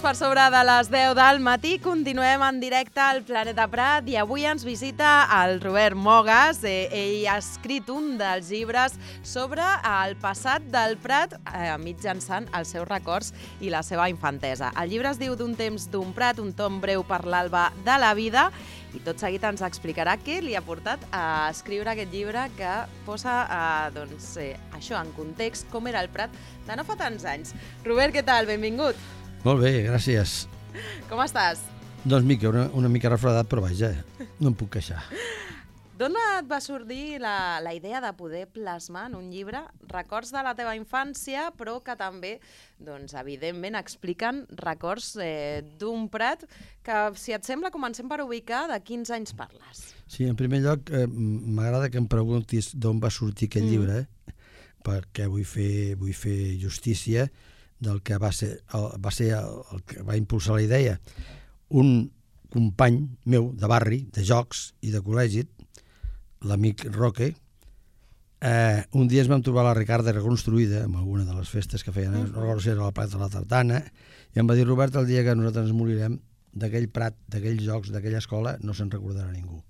per sobre de les 10 del matí. Continuem en directe al Planeta Prat i avui ens visita el Robert Mogas. Ell ha escrit un dels llibres sobre el passat del Prat mitjançant els seus records i la seva infantesa. El llibre es diu D'un temps d'un Prat, un tom breu per l'alba de la vida, i tot seguit ens explicarà què li ha portat a escriure aquest llibre que posa això en context, com era el Prat de no fa tants anys. Robert, què tal? Benvingut. Molt bé, gràcies. Com estàs? Doncs mica, una mica refredat, però vaja, no em puc queixar. D'on et va sortir la idea de poder plasmar en un llibre records de la teva infància, però que també, doncs, evidentment, expliquen records d'un Prat que, si et sembla, comencem per ubicar de quins anys parles. Sí, en primer lloc, m'agrada que em preguntis d'on va sortir aquest llibre, perquè vull fer justícia del que va ser el que va impulsar la idea. Un company meu de barri, de jocs i de col·legi, l'amic Roque, un dia ens vam trobar la Ricarda reconstruïda en alguna de les festes que feien, no recordo si era la Plata de la Tartana, i em va dir: Robert, el dia que nosaltres ens morirem, d'aquell Prat, d'aquells jocs, d'aquella escola, no se'n recordarà ningú.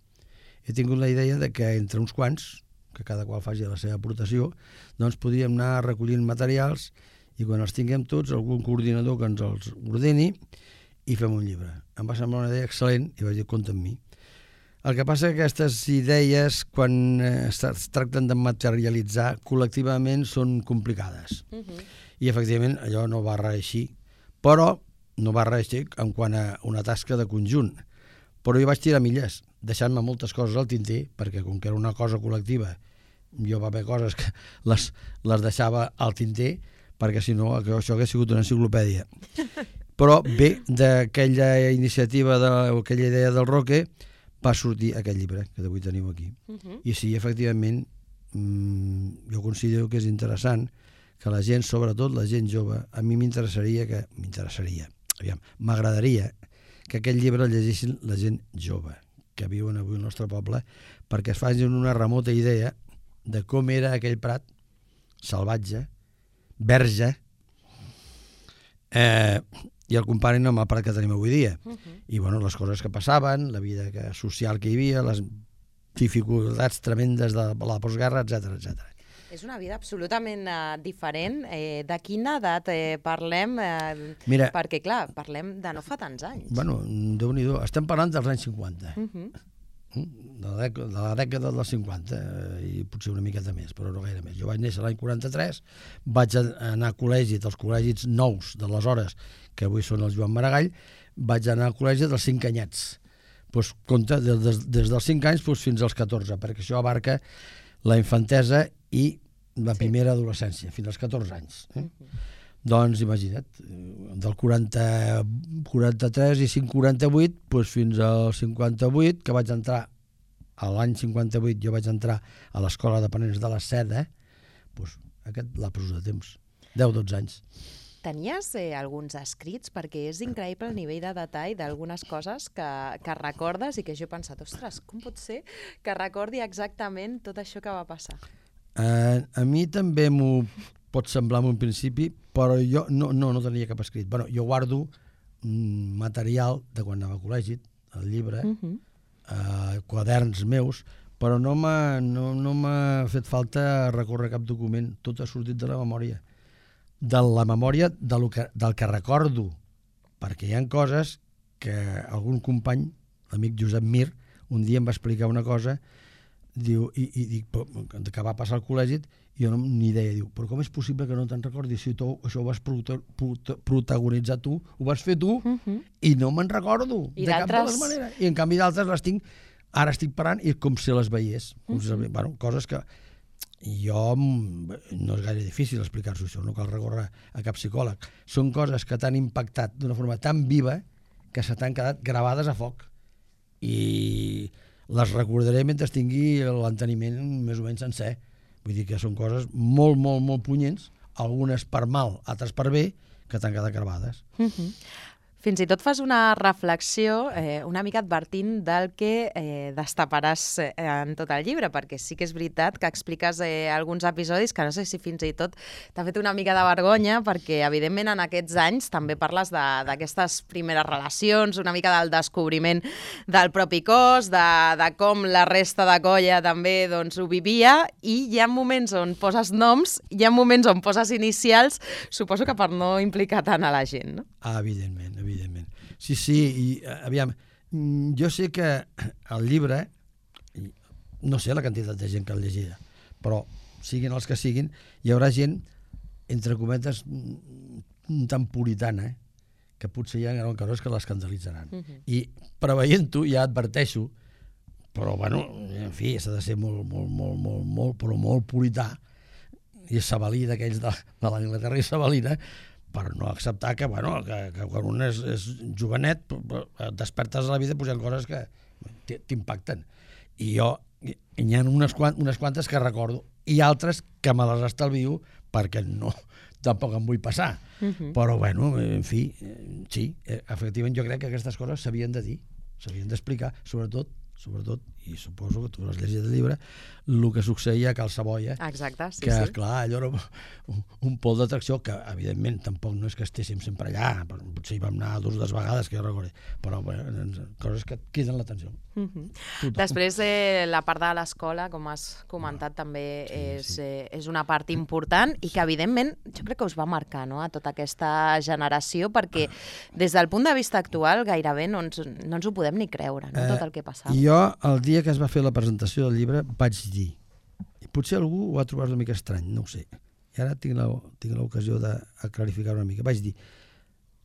He tingut la idea de que entre uns quants, que cada qual faci la seva aportació, doncs podíem anar recollint materials i quan els tinguem tots, algun coordinador que ens els ordeni i fem un llibre. Em va semblar una idea excel·lent i vaig dir: compta amb mi. El que passa que aquestes idees, quan es tracten de materialitzar col·lectivament, són complicades. I, efectivament, allò no va reeixir. Però no va reeixir en quant a una tasca de conjunt. Però jo vaig tirar milles, deixant-me moltes coses al tinter, perquè com que era una cosa col·lectiva, jo va haver coses que les deixava al tinter, perquè si no això hagués sigut una enciclopèdia. Però bé, d'aquella iniciativa, d'aquella idea del Roque, va sortir aquest llibre que avui teniu aquí. I sí, efectivament, jo considero que és interessant que la gent, sobretot la gent jove, a mi m'agradaria que aquest llibre el llegissin la gent jove que viuen avui al nostre poble, perquè es facin una remota idea de com era aquell Prat salvatge, verge, i el comparin amb el Prat que tenim avui dia. I bueno, les coses que passaven, la vida social que hi havia, les dificultats tremendes de la postguerra, etc. És una vida absolutament diferent. De quina edat parlem? Mira, perquè, clar, parlem de no fa tants anys. Bueno, Déu-n'hi-do, estem parlant dels anys 50. De la dècada dels 50 i potser una miqueta més, però no gaire més. Jo vaig néixer l'any 43, vaig anar a col·legi dels col·legis nous d'aleshores, que avui són el Joan Maragall, vaig anar al col·legi dels 5 anyets. Doncs compte, des dels 5 anys fins als 14, perquè això abarca la infantesa i la primera adolescència, fins als 14 anys. Doncs imagina't, del 43 i 48 fins al 58, que vaig entrar, a l'any 58 jo vaig entrar a l'escola d'aprenents de la Seda, aquest lapsus de temps, 10-12 anys. Tenies alguns escrits? Perquè és increïble el nivell de detall d'algunes coses que recordes i que jo he pensat: ostres, com pot ser que recordi exactament tot això que va passar? A mi també m'ho pot semblar en un principi, però jo no tenia cap escrit. Bueno, jo guardo material de quan anava a col·legi, el llibre, quaderns meus, però no m'ha fet falta recórrer cap document. Tot ha sortit de la memòria. De la memòria del que recordo, perquè hi ha coses que algun company, l'amic Josep Mir, un dia em va explicar una cosa, diu, i dic, que va passar al col·legi, i jo ni idea, diu, però com és possible que no te'n recordis si tu això ho vas protagonitzar tu, ho vas fer tu, i no me'n recordo, de cap de les maneres. I en canvi d'altres les tinc, ara estic parant, i com si les veiés. Bueno, coses que jo, no és gaire difícil explicar-s'ho això, no cal recórrer a cap psicòleg. Són coses que t'han impactat d'una forma tan viva que se t'han quedat gravades a foc. I les recordaré mentre tingui l'enteniment més o menys sencer. Vull dir que són coses molt, molt, molt punyents, algunes per mal, altres per bé, que t'han quedat gravades. Fins i tot fas una reflexió una mica advertint del que destaparàs en tot el llibre, perquè sí que és veritat que expliques alguns episodis que no sé si fins i tot t'ha fet una mica de vergonya, perquè evidentment en aquests anys també parles d'aquestes primeres relacions, una mica del descobriment del propi cos, de com la resta de colla també doncs, ho vivia, i hi ha moments on poses noms, hi ha moments on poses inicials, suposo que per no implicar tant a la gent, no? Evidentment. Sí, i aviam, jo sé que el llibre, no sé la quantitat de gent que el llegirà, però siguin els que siguin, hi haurà gent, entre cometes, tan puritana, que potser hi ha coses que l'escandalitzaran. I preveient-ho, ja adverteixo, però, bueno, en fi, s'ha de ser molt purità, i sabelí d'aquells de l'Anglaterra isabelina, per no acceptar que quan un és jovenet et despertes a la vida posant coses que t'impacten. I hi ha unes quantes que recordo, i altres que me les estalvio perquè tampoc em vull passar. Però, bueno, en fi, sí, efectivament jo crec que aquestes coses s'havien de dir, s'havien d'explicar, sobretot, i suposo que tu has llegit el llibre, el que succeïa a Cal Savoia. Exacte, sí. Que, clar, allò era un pol d'atracció que, evidentment, tampoc no és que estéssim sempre allà, potser hi vam anar 2 vegades, que jo recordo, però coses que criden l'atenció. Després, la part de l'escola, com has comentat, també és una part important i que, evidentment, jo crec que us va marcar, no?, a tota aquesta generació, perquè des del punt de vista actual gairebé no ens ho podem ni creure, no?, tot el que passava. Jo, el dia que es va fer la presentació del llibre, vaig dir, i potser algú ho ha trobat una mica estrany, no ho sé, i ara tinc l'ocasió de clarificar una mica, vaig dir,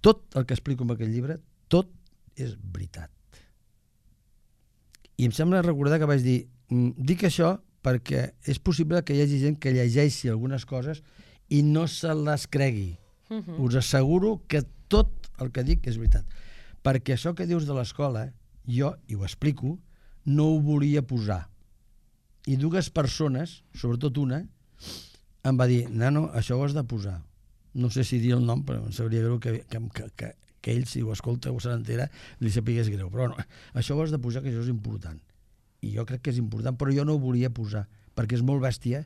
tot el que explico en aquest llibre, tot és veritat. I em sembla recordar que vaig dir, dic això perquè és possible que hi hagi gent que llegeixi algunes coses i no se les cregui. Us asseguro que tot el que dic és veritat. Perquè això que dius de l'escola, jo, i ho explico, no ho volia posar. I 2 persones, sobretot una, em va dir, nano, això ho has de posar. No sé si dir el nom, però em sabria greu que ell, si ho escolta o se n'entera, li sapigués greu. Però no, això ho has de posar, que això és important. I jo crec que és important, però jo no ho volia posar, perquè és molt bèstia,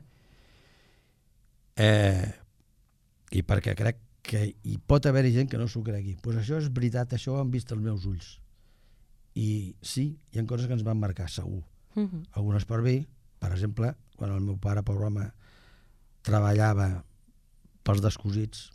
i perquè crec que hi pot haver gent que no s'ho cregui. Doncs això és veritat, això ho han vist els meus ulls. I sí, hi ha coses que ens van marcar, segur. Algunes per bé, per exemple, quan el meu pare, pobre home, treballava pels descosits.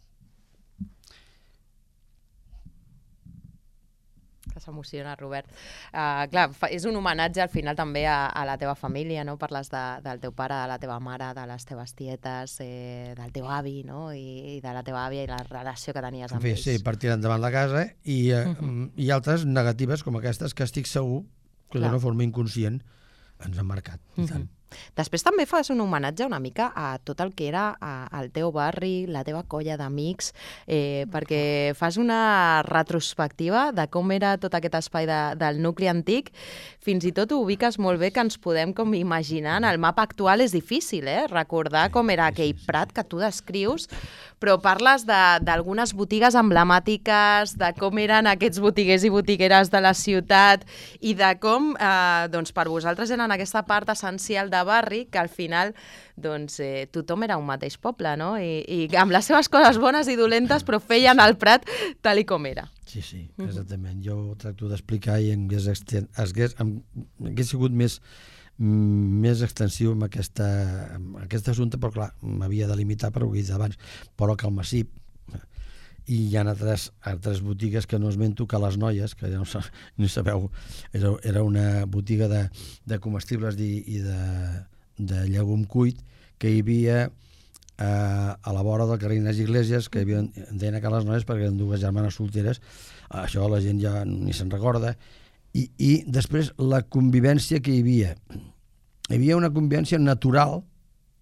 Que s'emociona, Robert. Clar, és un homenatge al final també a la teva família, no? Parles del teu pare, de la teva mare, de les teves tietes, del teu avi, no? I de la teva àvia i la relació que tenies amb ells. Sí, per tirar endavant la casa, i altres negatives com aquestes que estic segur que d'una forma inconscient ens han marcat. Després també fas un homenatge una mica a tot el que era el teu barri, la teva colla d'amics, perquè fas una retrospectiva de com era tot aquest espai del nucli antic. Fins i tot ho ubiques molt bé, que ens podem com imaginar. En el mapa actual és difícil, recordar com era aquell prat que tu descrius, però parles d'algunes botigues emblemàtiques, de com eren aquests botiguers i botigueres de la ciutat i de com per vosaltres eren aquesta part essencial de barri, que al final tothom era un mateix poble, no? I amb les seves coses bones i dolentes, però feien el Prat tal i com era. Sí, exactament. Jo ho tracto d'explicar i hagués sigut més extensiu amb aquest assumpte, però clar, m'havia de limitar per ho que he dit abans, però que al Massip i hi ha altres botigues que no esmento, que les Noies, que ja no sabeu, era una botiga de comestibles i de llegum cuit que hi havia a la vora del carrer Ignasi Iglesias, que en deien a les Noies perquè eren 2 germanes solteres. Això la gent ja ni se'n recorda. I després la convivència que hi havia. Hi havia una convivència natural,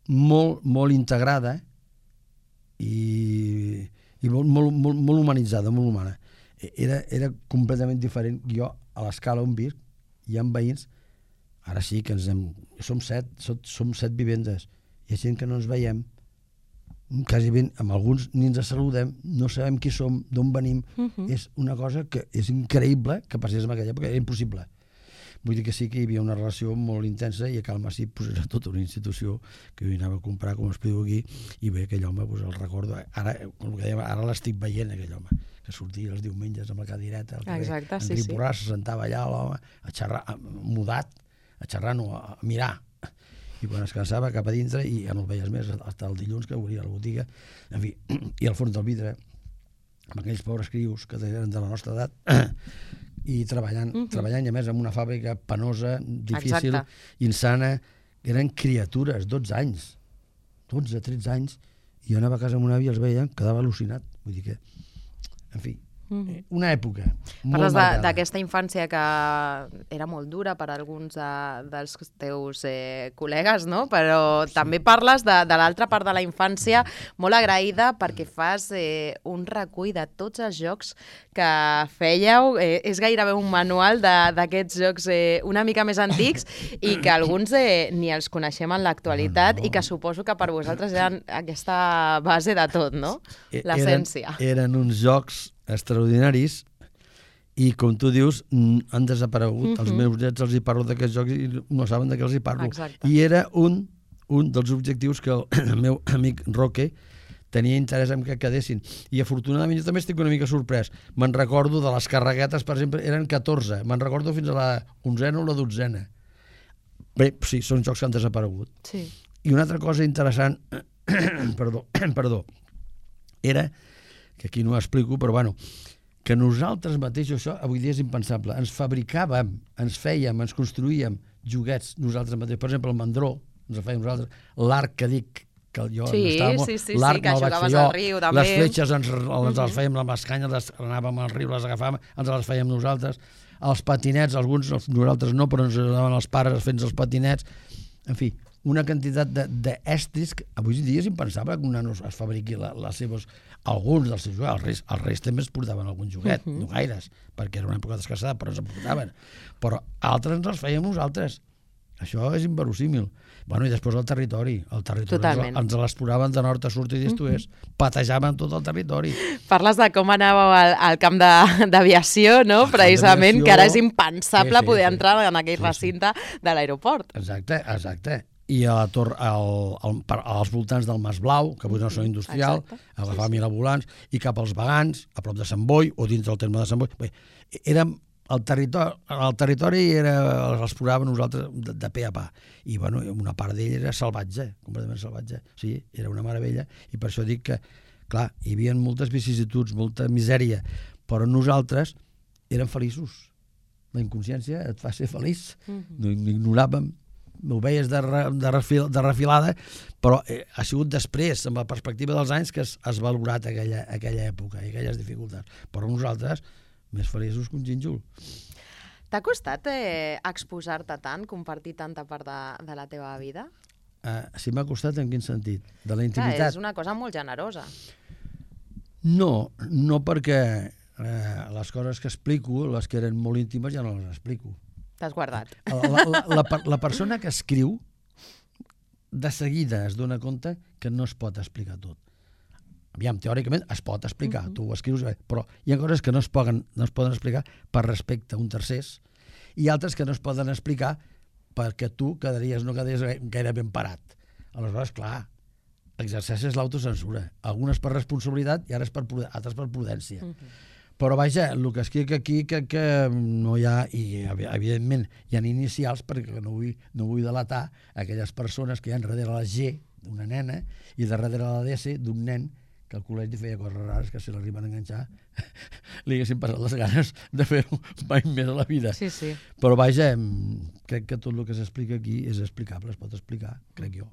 molt integrada i molt humanitzada, molt humana. Era completament diferent. Jo, a l'escala on visc, hi ha veïns, ara sí que som 7 vivendes, hi ha gent que no ens veiem quasi ben, amb alguns ni ens saludem, no sabem qui som, d'on venim. És una cosa que és increïble que passés en aquella època, era impossible. Vull dir que sí que hi havia una relació molt intensa i a Cal Massip pues, era tota una institució que jo hi anava a comprar, com explico aquí, i bé, aquell home, pues, el recordo, ara l'estic veient, aquell home, que sortia els diumenges amb la cadireta al carrer, exacte, en Riporà, se sentava allà l'home a xerrar, mudat, a xerrar, no, a mirar, i quan es cansava cap a dintre i ja no el veies més, fins el dilluns que obria la botiga, en fi, i al fons del vidre, amb aquells pobres crios que eren de la nostra edat, i treballant i a més en una fàbrica penosa, difícil, insana, eren criatures, 12 anys, 12, 13 anys, i jo anava a casa amb una àvia i els veia, quedava al·lucinat, vull dir que, en fi, una època molt Parles marcada. d'aquesta infància que era molt dura per a alguns dels teus col·legues, no? Però també parles de l'altra part de la infància, molt agraïda perquè fas un recull de tots els jocs que fèieu. És gairebé un manual d'aquests jocs una mica més antics i que alguns ni els coneixem en l'actualitat i que suposo que per vosaltres eren aquesta base de tot, no? L'essència. Eren uns jocs extraordinaris i, com tu dius, han desaparegut. Els meus nets els hi parlo d'aquests jocs i no saben de què els hi parlo. Exacte. I era un dels objectius que el meu amic Roque tenia interès en que quedessin. I afortunadament jo també estic una mica sorprès. Me'n recordo de les carreguetes, per exemple, eren 14. Me'n recordo fins a la 11a o la 12a. Bé, sí, són jocs que han desaparegut. Sí. I una altra cosa interessant, perdó, era que aquí no ho explico, però bueno, que nosaltres mateixos, això avui dia és impensable, ens fabricàvem, ens fèiem, ens construïem joguets nosaltres mateixos. Per exemple, el mandró, ens el fèiem nosaltres, l'arc que dic, que jo estava molt... L'arc que me'l vaig fer al riu, també. Les fletxes ens les fèiem amb les canyes, anàvem al riu, les agafàvem, ens les fèiem nosaltres. Els patinets, alguns, nosaltres no, però ens ajudaven els pares fent els patinets. En fi, una quantitat d'estris que avui dia és impensable que un nano es fabriqui les seves... Alguns dels seus joguets, els reis també es portaven algun joguet, no gaires, perquè era una època d'escassada, però ens en portaven. Però altres ens els fèiem nosaltres. Això és inverosímil. Bueno, i després el territori ens l'exploraven de nord a sud i d'est a oest, patejaven tot el territori. Parles de com anàveu al camp d'aviació, no? Precisament, que ara és impensable poder entrar en aquell recinte de l'aeroport. Exacte. I a la torre, als voltants del Mas Blau, que avui no són industrial, a la família Volants, i cap als Vegans, a prop de Sant Boi, o dins del terme de Sant Boi. Bé, érem el territori l'exploràvem nosaltres de pe a pa. I bueno, una part d'ell era salvatge, completament salvatge. Sí, era una meravella. I per això dic que, clar, hi havia moltes vicissituds, molta misèria, però nosaltres érem feliços. La inconsciència et fa ser feliç. No ignoràvem, ho veies de refilada, però ha sigut després, amb la perspectiva dels anys, que has valorat aquella època i aquelles dificultats. Però nosaltres, més feliços que un gínjol. T'ha costat exposar-te tant, compartir tanta part de la teva vida? Sí, m'ha costat en quin sentit? De la intimitat? És una cosa molt generosa. No perquè les coses que explico, les que eren molt íntimes, ja no les explico. T'has guardat. La persona que escriu de seguida es dona compte que no es pot explicar tot. Aviam, teòricament es pot explicar, tu ho escrius, però hi ha coses que no es poden explicar per respecte a un tercers i altres que no es poden explicar perquè tu no quedaries gaire ben parat. Aleshores, clar, l'exercici és l'autocensura. Algunes per responsabilitat i altres per prudència. Però vaja, el que escric aquí que no hi ha, i evidentment hi ha inicials perquè no vull delatar aquelles persones que hi ha darrere la G d'una nena i darrere la DS d'un nen que al col·legi feia coses rares que si l'arriben a enganxar li haguessin passat les ganes de fer-ho mai més a la vida. Sí. Però vaja, crec que tot el que s'explica aquí és explicable, es pot explicar, crec jo.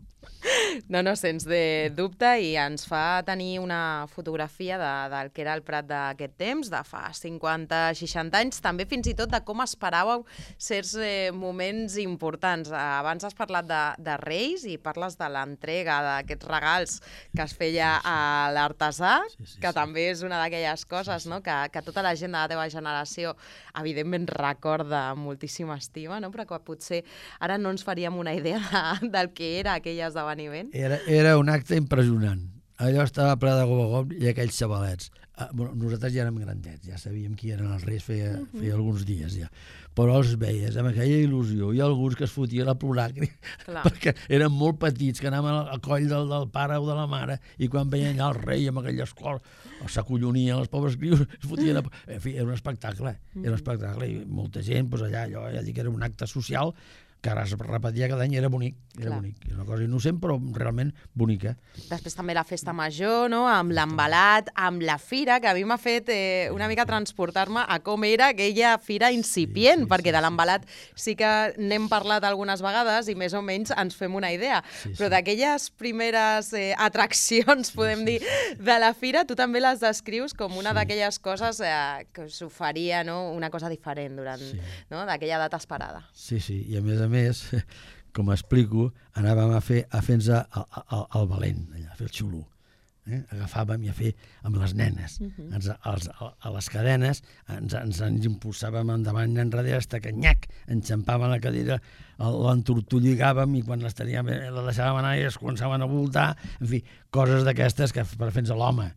No, sens de dubte, i ens fa tenir una fotografia del que era el Prat d'aquest temps, de fa 50-60 anys, també fins i tot de com esperàveu certs moments importants. Abans has parlat de Reis i parles de l'entrega d'aquests regals que es feia a l'artesà, que també és una d'aquelles coses que tota la gent de la teva generació evidentment recorda amb moltíssima estima, però que potser ara no ens faríem una idea del que era aquell esdeveniment. Era un acte impressionant. allò estava ple de gom i aquells xavalets. Nosaltres ja érem grandets, ja sabíem qui eren els reis, feia alguns dies ja. Però els veies amb aquella il·lusió i alguns que es fotien a plorar perquè eren molt petits, que anaven al coll del pare o de la mare i quan veien allà el rei amb aquella escola s'acollonien els pobres crios, es fotien En fi, era un espectacle, i molta gent, doncs allà, allò, ja dic que era un acte social que ara es repetia cada any, era bonic, era una cosa innocent però realment bonica. Després també la festa major, no? Amb l'embalat, amb la fira, que a mi m'ha fet una mica transportar-me a com era aquella fira incipient, perquè de l'embalat sí que n'hem parlat algunes vegades i més o menys ens fem una idea, però d'aquelles primeres atraccions, podem dir, de la fira, tu també les descrius com una d'aquelles coses que s'oferia, no? Una cosa diferent durant d'aquella data esperada. Sí, i a més, com explico, anàvem a fer-nos el valent, allà, a fer el xulo. Agafàvem i a fer amb les nenes. A les cadenes ens impulsàvem endavant i enrere fins que nyac, enxampàvem la cadira, l'entortolligàvem i quan les teníem la deixàvem anar i es començaven a voltar. En fi, coses d'aquestes que per fer-nos l'home.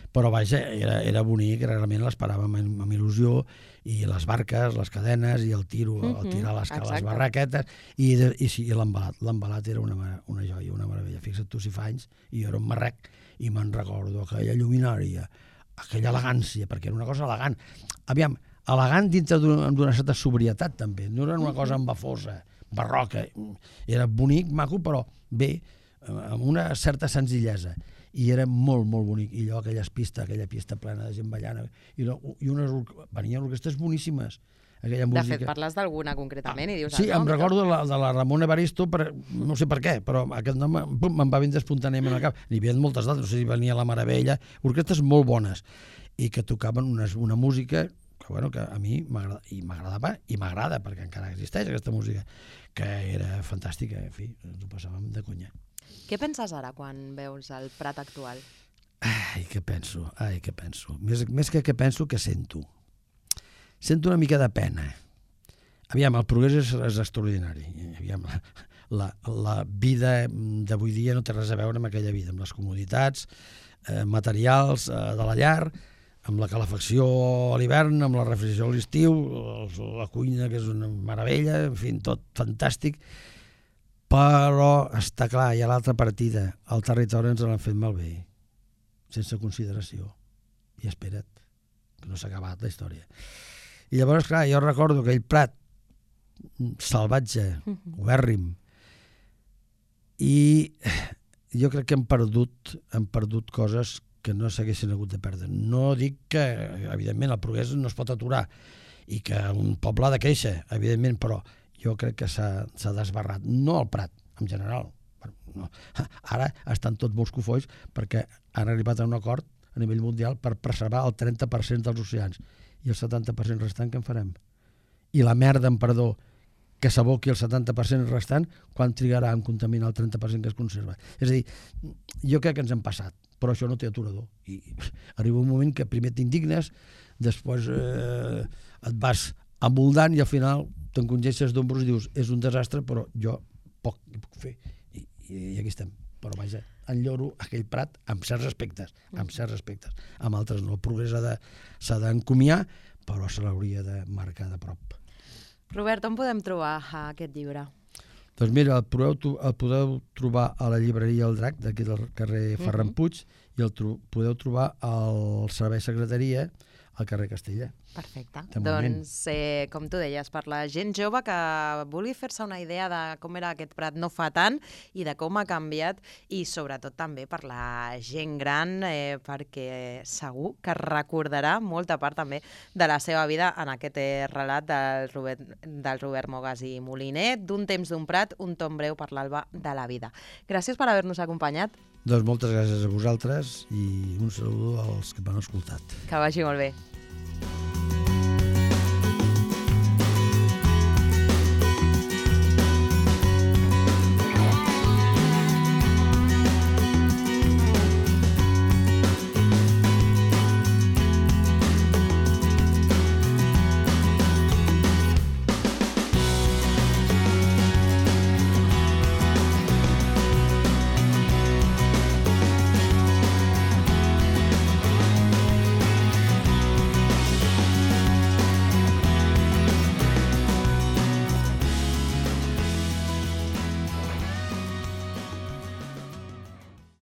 Però vaja, era bonic, realment l'esperàvem amb il·lusió, i les barques, les cadenes, i el tirar les barraquetes, i l'embalat era una joia, una meravella. Fixa't tu si fa anys, i jo era un marrec, i me'n recordo aquella lluminària, aquella elegància, perquè era una cosa elegant. Aviam, elegant dintre d'una certa sobrietat, també. No era una cosa embafosa, barroca. Era bonic, maco, però bé, amb una certa senzillesa. I era molt, molt bonic. I allò, aquella pista plena de gent ballant, i venien orquestres boníssimes. Aquella música. De fet, parles d'alguna concretament i dius... Sí, em recordo de la Ramona Evaristo, no sé per què, però aquest nom me'n va vindre espontàniament al cap. N'hi havia moltes d'altres, no sé si venia La Meravella, orquestres molt bones, i que tocaven una música que a mi m'agradava i m'agrada, perquè encara existeix aquesta música, que era fantàstica, en fi, ens ho passàvem de conya. Què penses ara quan veus el Prat actual? Què penso? Més que què penso, que sento. Sento una mica de pena. Aviam, el progrés és extraordinari. Aviam, la vida d'avui dia no té res a veure amb aquella vida, amb les comoditats materials de la llar, amb la calefacció a l'hivern, amb la refrigeració a l'estiu, la cuina, que és una meravella, en fi, tot fantàstic. Però està clar, hi ha l'altra partida. El territori ens l'han fet malbé, sense consideració. I espera't, que no s'ha acabat la història. I llavors, clar, jo recordo aquell Prat salvatge, ubèrrim, i jo crec que hem perdut coses que no s'haguessin hagut de perdre. No dic que, evidentment, el progrés no es pot aturar i que un poble ha de créixer, evidentment, però jo crec que s'ha desbarrat. No el Prat, en general. No. Ara estan tots molts cofois perquè han arribat a un acord a nivell mundial per preservar el 30% dels oceans. I el 70% restant què en farem? I la merda, amb perdó, que s'aboqui el 70% restant, quan trigarà en contaminar el 30% que es conserva? És a dir, jo crec que ens hem passat, però això no té aturador. I arriba un moment que primer t'indignes, després et vas amoldant i al final t'encongeixes d'ombros i dius, és un desastre, però jo poc hi puc fer. I aquí estem. Però vaja, enlloro aquell Prat amb certs aspectes, amb altres no. El progrés s'ha d'encomiar, però se l'hauria de marcar de prop. Robert, on podem trobar aquest llibre? Doncs mira, el podeu trobar a la llibreria El Drac, d'aquí del carrer Ferran Puig, i el podeu trobar al Servei Secretaria, al carrer Castella. Perfecte. Doncs, com tu deies, per la gent jove que vulgui fer-se una idea de com era aquest Prat no fa tant i de com ha canviat, i sobretot també per la gent gran, perquè segur que recordarà molta part també de la seva vida en aquest relat del Robert Mogas i Moliner, d'un temps d'un Prat, un tom breu per l'alba de la vida. Gràcies per haver-nos acompanyat. Doncs moltes gràcies a vosaltres i un saludo als que m'han escoltat. Que vagi molt bé.